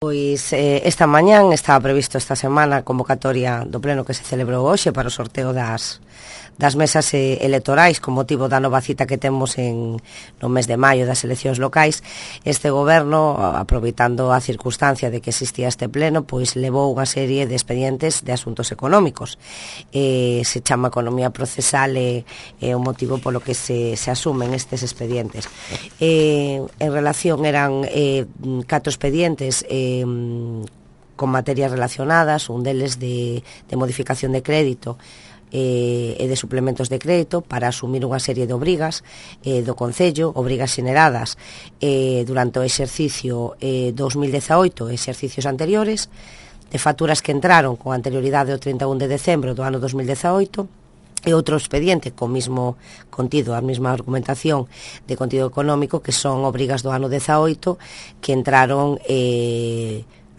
Pois esta mañán estaba previsto esta semana a convocatoria do pleno que se celebrou hoxe para o sorteo das mesas electorais con motivo da nova cita que temos no mes de maio das eleccións locais. Este goberno, aproveitando a circunstancia de que existía este pleno, pois levou unha serie de expedientes de asuntos económicos. Se chama economía procesal e o motivo polo que se asumen estes expedientes. En relación eran 4 expedientes con materias relacionadas, un deles de modificación de crédito e de suplementos de crédito para asumir unha serie de obrigas do Concello, obrigas xeneradas durante o exercicio 2018 e exercicios anteriores, de facturas que entraron con anterioridade ao 31 de decembro do ano 2018, e outro expediente co mismo contido, a mesma argumentación de contido económico, que son obrigas do ano 18 que entraron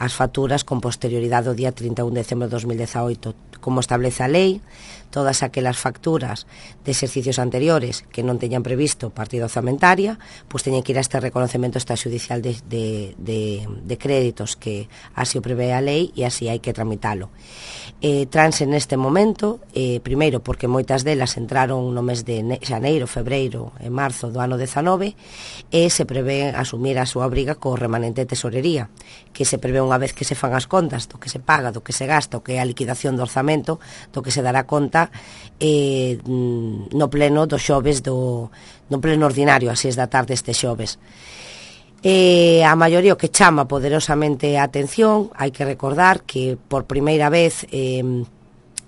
as facturas con posterioridade ao día 31 de decembro de 2018. Como establece a lei, todas aquelas facturas de exercicios anteriores que non teñan previsto partida orzamentaria, pois teñen que ir a este reconocemento extrajudicial de créditos que así o prevé a lei e así hai que tramitalo. Transe neste momento, primeiro porque moitas delas entraron no mes de xaneiro, febreiro e marzo do ano 19 e se prevé asumir a súa obriga co remanente de tesorería, que se prevé unha vez que se fan as contas do que se paga, do que se gasta, o que é a liquidación do orzamento, do que se dará conta no pleno do xoves no pleno ordinario, a 6 da tarde este xoves. A maioría o que chama poderosamente a atención, hai que recordar que por primeira vez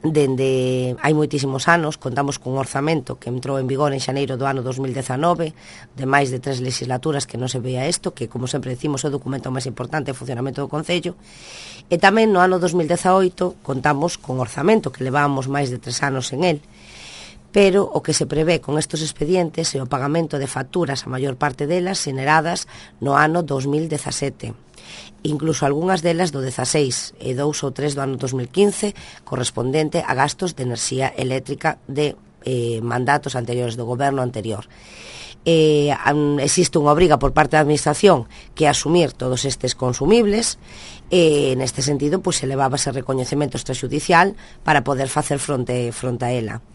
dende hai moitísimos anos contamos cun orzamento que entrou en vigor en xaneiro do ano 2019, de máis de 3 legislaturas que non se veía isto, que como sempre decimos é o documento máis importante de funcionamento do Concello. E tamén no ano 2018 contamos con orzamento, que levábamos máis de 3 anos en el, pero o que se prevé con estes expedientes é o pagamento de facturas, a maior parte delas xeneradas no ano 2017, incluso algunhas delas do 16 e 2 ou 3 do ano 2015, correspondente a gastos de enerxía eléctrica de mandatos anteriores do goberno anterior. Existe unha obriga por parte da administración que é asumir todos estes consumibles e neste sentido pois se levaba ese recoñecemento extrajudicial para poder facer fronte a ela.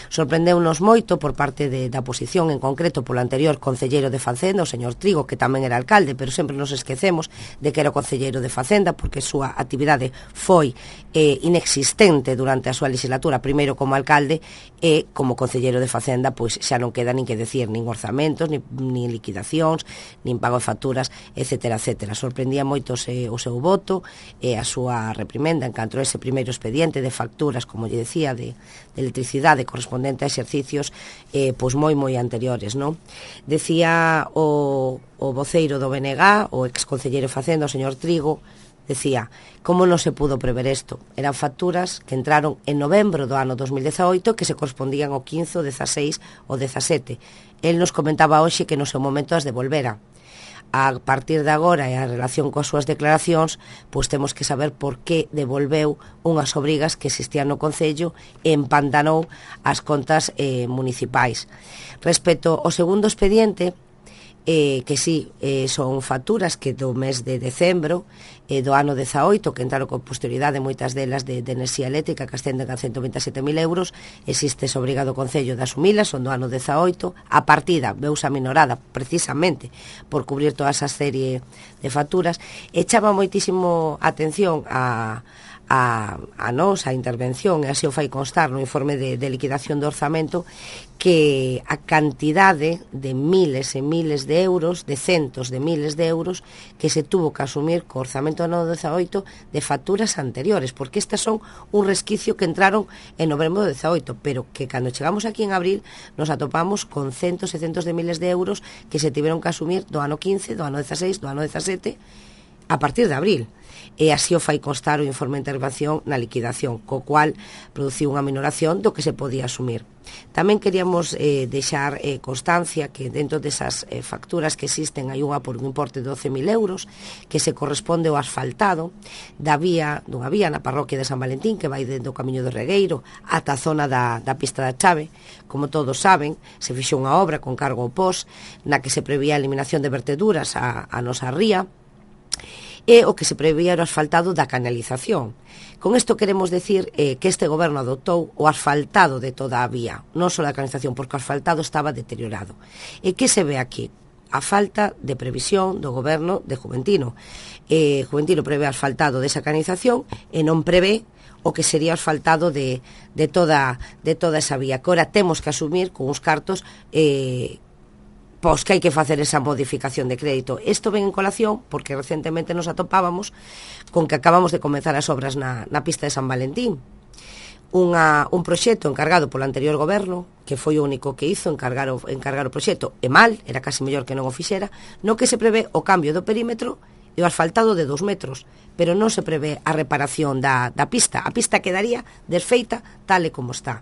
Sorprendeunos moito por parte da oposición, en concreto polo anterior concelleiro de Facenda, o señor Trigo, que tamén era alcalde, pero sempre nos esquecemos de que era o concelleiro de Facenda, porque a súa actividade foi inexistente durante a súa legislatura, primeiro como alcalde e como concelleiro de Facenda, pois xa non queda nin que decir, nin orzamentos, nin liquidacións, nin pago de facturas, etcétera, etcétera. Sorprendía moito o seu voto e a súa reprimenda en canto a ese primeiro expediente de facturas, como lle decía, de electricidade correspondente a exercicios pois moi anteriores, non? Decía o voceiro do BNG, o exconcelleiro Facenda, o señor Trigo, decía, como non se pudo prever isto? Eran facturas que entraron en novembro do ano 2018 que se correspondían ao 15, o 16, o 17. El nos comentaba hoxe que no seu momento as devolvera. A partir de agora e a relación coas súas declaracións, pois temos que saber por que devolveu unhas obrigas que existían no Concello e empantanou as contas municipais. Respecto ao segundo expediente, que sí, son facturas que do mes de decembro do ano 18, que entraron con posterioridade moitas delas de enerxía eléctrica que ascenden a 127.000 euros, existe ese obrigado Concello de asumilas, son do ano 18, a partida veuse aminorada precisamente por cubrir toda esa serie de facturas, e chama moitísimo atención a nosa intervención, e así o fai constar no informe de liquidación do orzamento, que a cantidade de miles e miles de euros, de centos de miles de euros que se tuvo que asumir co orzamento do ano 18 de facturas anteriores, porque estas son un resquicio que entraron en novembro do 18, pero que cando chegamos aquí en abril nos atopamos con centos e centos de miles de euros que se tiveron que asumir do ano 15, do ano 16, do ano 17 a partir de abril. E así o fai constar o informe de intervención na liquidación, co cual produciu unha minoración do que se podía asumir. Tamén queríamos deixar constancia que dentro desas facturas que existen hai unha por un importe de 12.000 euros que se corresponde ao asfaltado dunha vía na parroquia de San Valentín que vai dentro do Camiño do Regueiro ata a zona da pista da Chave. Como todos saben, se fixou unha obra con cargo ao POS na que se prevía a eliminación de verteduras a nosa ría e o que se prevía era o asfaltado da canalización. Con isto queremos decir que este goberno adoptou o asfaltado de toda a vía, non só da canalización, porque o asfaltado estaba deteriorado. E que se ve aquí? A falta de previsión do goberno de Juventino. Juventino prevé asfaltado desa canalización e non prevé o que sería o asfaltado de toda esa vía, que ora temos que asumir con uns cartos pois que hai que facer esa modificación de crédito. Isto ven en colación porque recentemente nos atopábamos con que acabamos de comenzar as obras na pista de San Valentín. Un proxecto encargado polo anterior goberno, que foi o único que hizo encargar o proxecto, e mal, era casi mellor que non o fixera, no que se prevé o cambio do perímetro e o asfaltado de 2 metros, pero non se prevé a reparación da pista. A pista quedaría desfeita tal e como está.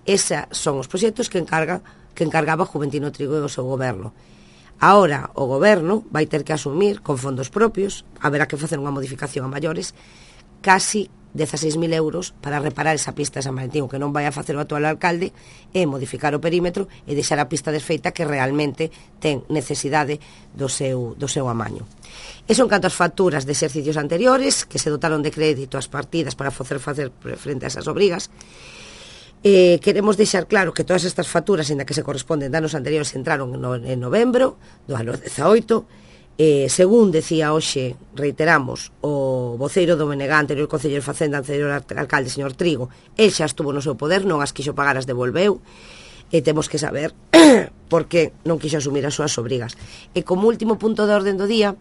Eses son os proxectos que encargaba Juventino Trigo e o seu goberno. Ahora o goberno vai ter que asumir con fondos propios, haberá que facer unha modificación a maiores, casi 16.000 euros para reparar esa pista de San Valentín. O que non vai a facer o actual alcalde é modificar o perímetro e deixar a pista desfeita que realmente ten necesidade do seu amaño. E son canto as facturas de exercicios anteriores que se dotaron de crédito as partidas para facer frente a esas obrigas. Queremos deixar claro que todas estas facturas, ainda que se corresponden de anos anteriores, entraron en novembro do ano 18. Según decía hoxe, reiteramos, o voceiro do BNG, anterior concelleiro de Facenda, anterior alcalde, señor Trigo, el xa estuvo no seu poder, non as quixo pagar, as devolveu, e temos que saber por que non quixo asumir as súas obrigas. E como último punto de orden do día,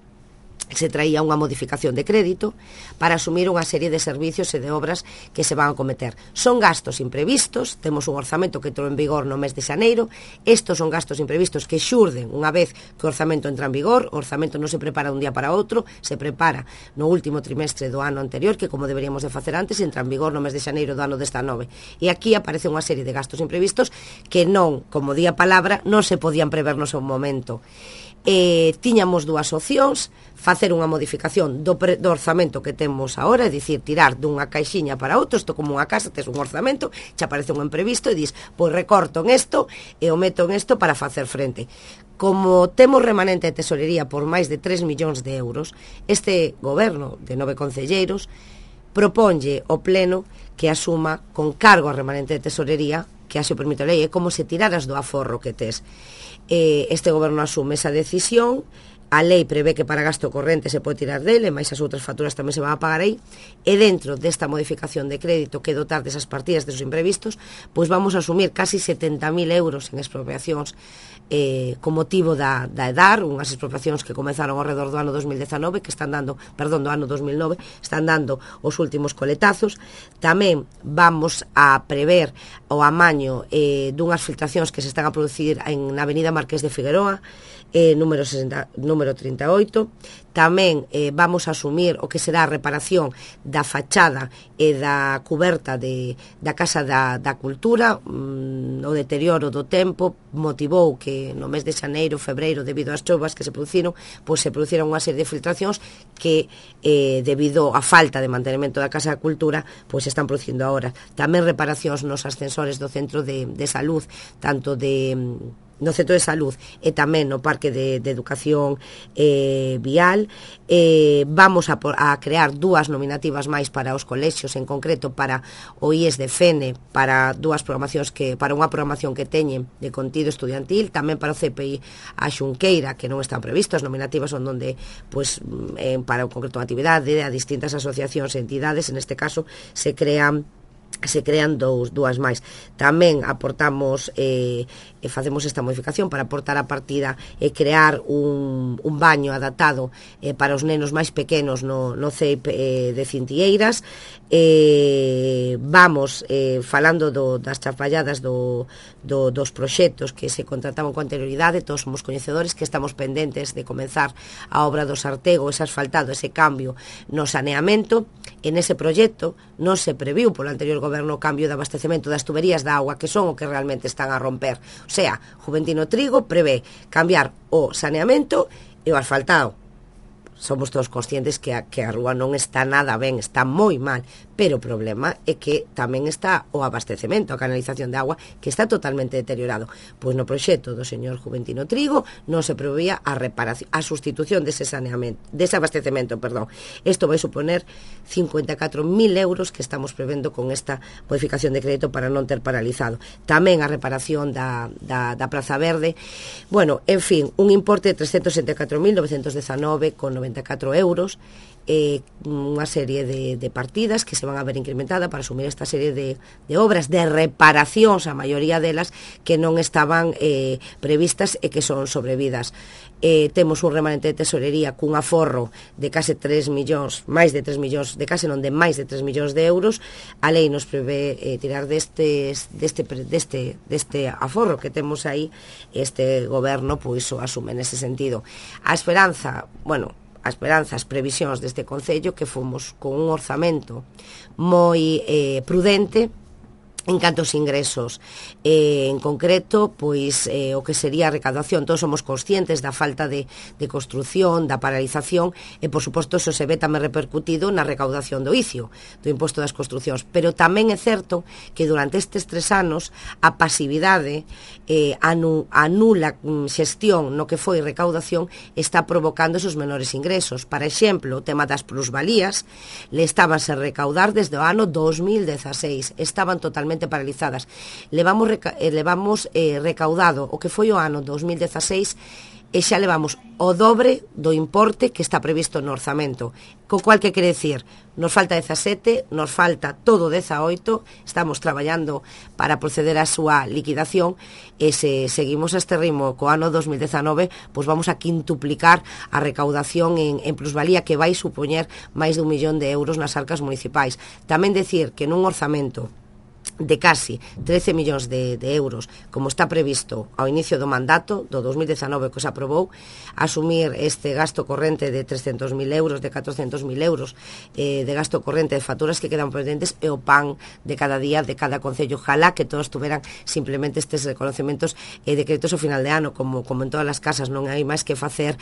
se traía unha modificación de crédito para asumir unha serie de servicios e de obras que se van a cometer. Son gastos imprevistos, temos un orzamento que entrou en vigor no mes de xaneiro. Estos son gastos imprevistos que xurden unha vez que o orzamento entra en vigor. O orzamento non se prepara dun día para outro, se prepara no último trimestre do ano anterior, que como deberíamos de facer antes, entra en vigor no mes de xaneiro do ano desta 9. E aquí aparece unha serie de gastos imprevistos que non, como di a palabra, non se podían prever no seu momento. Tiñamos dúas opcións: facer unha modificación do orzamento que temos agora, é dicir, tirar dunha caixiña para outro. Isto como unha casa, tes un orzamento, xa aparece un imprevisto e dis, pois recorto en isto e o meto en isto para facer frente. Como temos remanente de tesorería por máis de 3 millóns de euros, este goberno de 9 concelleiros proponlle ao pleno que asuma con cargo a remanente de tesorería, que así o permite a lei. É como se tiraras do aforro que tes. Este goberno asume esa decisión. A lei prevé que para gasto corrente se pode tirar dele, máis as outras facturas tamén se van a pagar aí, e dentro desta modificación de crédito que dotar desas partidas desos imprevistos, pois vamos a asumir casi 70.000 euros en expropiacións con motivo da EDAR, unhas expropiacións que comenzaron ao redor do ano 2019, que están dando, do ano 2009, están dando os últimos coletazos. Tamén vamos a prever o amaño dunhas filtracións que se están a producir na avenida Marqués de Figueroa, número 38. Tamén vamos a asumir o que será a reparación da fachada e da cuberta da Casa da Cultura. O deterioro do tempo motivou que no mes de xaneiro, febreiro, debido ás chuvas que se produciron, pois se produciron unha serie de filtracións que debido á falta de mantenimento da Casa da Cultura, pois se están producindo agora. Tamén reparacións nos ascensores do centro de salud, tanto no centro de salud e tamén no parque de educación vial. Vamos a crear dúas nominativas máis para os colexios, en concreto para o IES de Fene, para para unha programación que teñen de contido estudiantil, tamén para o CPI a Xunqueira, que non están previstos. As nominativas son donde, pois, para o concreto de actividade a distintas asociacións e entidades, en este caso se crean dúas máis. Tamén aportamos facemos esta modificación para aportar a partida e crear un baño adaptado para os nenos máis pequenos no CEIP de Cintieiras. Vamos falando das chapalladas dos proxectos que se contrataban con anterioridade. Todos somos coñecedores que estamos pendentes de comenzar a obra do Sartego, ese asfaltado, ese cambio no saneamento. En ese proxecto non se previu polo anterior goberno o cambio de abastecemento das tuberías de agua, que son o que realmente están a romper. O sea, Juventino Trigo prevé cambiar o saneamento e o asfaltado. Somos todos conscientes que a rúa non está nada ben, está moi mal, pero o problema é que tamén está o abastecemento, a canalización de agua, que está totalmente deteriorado. Pois no proxecto do señor Juventino Trigo non se preveía a reparación, a sustitución dese saneamento, dese abastecemento, perdón. Isto vai suponer 54.000 euros que estamos prevendo con esta modificación de crédito para non ter paralizado. Tamén a reparación da Praza Verde, bueno, en fin, un importe de 374.919,94 euros, unha serie de partidas que se van a ver incrementada para asumir esta serie de obras de reparacións, a maioría delas que non estaban previstas e que son sobrevidas. Temos un remanente de tesorería cun aforro de case 3 millóns, máis de 3 millóns, de case non de máis de 3 millóns de euros. A lei nos prevé tirar deste aforro que temos aí. Este goberno pois o asume nese sentido. A esperanza, bueno, as previsións deste Concello, que fomos con un orzamento moi prudente en canto aos ingresos, en concreto, pois o que sería a recaudación. Todos somos conscientes da falta de construción, da paralización, e por suposto eso se ve tamén repercutido na recaudación do ICIO, do imposto das construcións, pero tamén é certo que durante estes 3 anos a pasividade, a nula xestión no que foi recaudación está provocando esos menores ingresos. Por exemplo, o tema das plusvalías le estabanse a recaudar desde o ano 2016, estaban totalmente paralizadas. Levamos recaudado o que foi o ano 2016 e xa levamos o dobre do importe que está previsto no orzamento, co cual que quere decir, nos falta 17, nos falta todo 18, estamos traballando para proceder á súa liquidación, e se seguimos este ritmo co ano 2019, pois vamos a quintuplicar a recaudación en plusvalía, que vai supoñer máis de 1 millón de euros nas arcas municipais. Tamén decir que nun orzamento de casi 13 millóns de euros, como está previsto ao inicio do mandato do 2019 que se aprobou, asumir este gasto corrente de 300.000 euros, de 400.000 euros de gasto corrente de facturas que quedan pendentes, e o pan de cada día de cada concello. Ojalá que todos tuveran simplemente estes reconocimientos e decretos ao final de ano, como en todas as casas, non hai máis que facer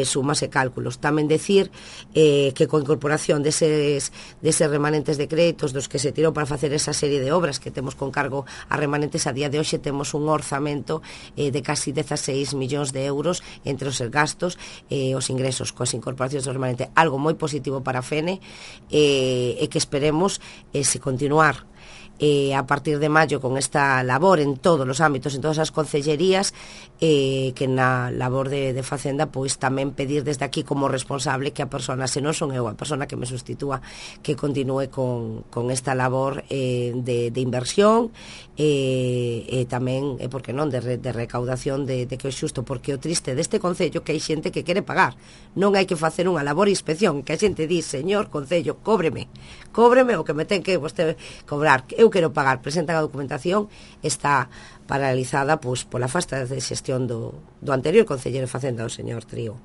sumas e cálculos. Tamén decir que coa incorporación deses remanentes de créditos dos que se tirou para facer esa serie de obras que temos con cargo a remanentes, a día de hoxe temos un orzamento de casi 16 millóns de euros entre os gastos e os ingresos coas incorporacións do remanente, algo moi positivo para a FENE, e que esperemos se continuar a partir de maio con esta labor en todos os ámbitos, en todas as concellerías, que na labor de Facenda pois tamén pedir desde aquí como responsable que a persona, se non son eu a persona que me sustitúa, que continúe con esta labor de inversión e tamén, por que non, de recaudación de que é xusto, porque o triste deste concello que hai xente que quere pagar, non hai que facer unha labor de inspección, que a xente di, señor concello, cóbreme o que me ten que vostede cobrar, eu quero pagar, presentan a documentación, está paralizada pois pola falta de xestión do anterior concelleiro de Facenda, o señor Trío.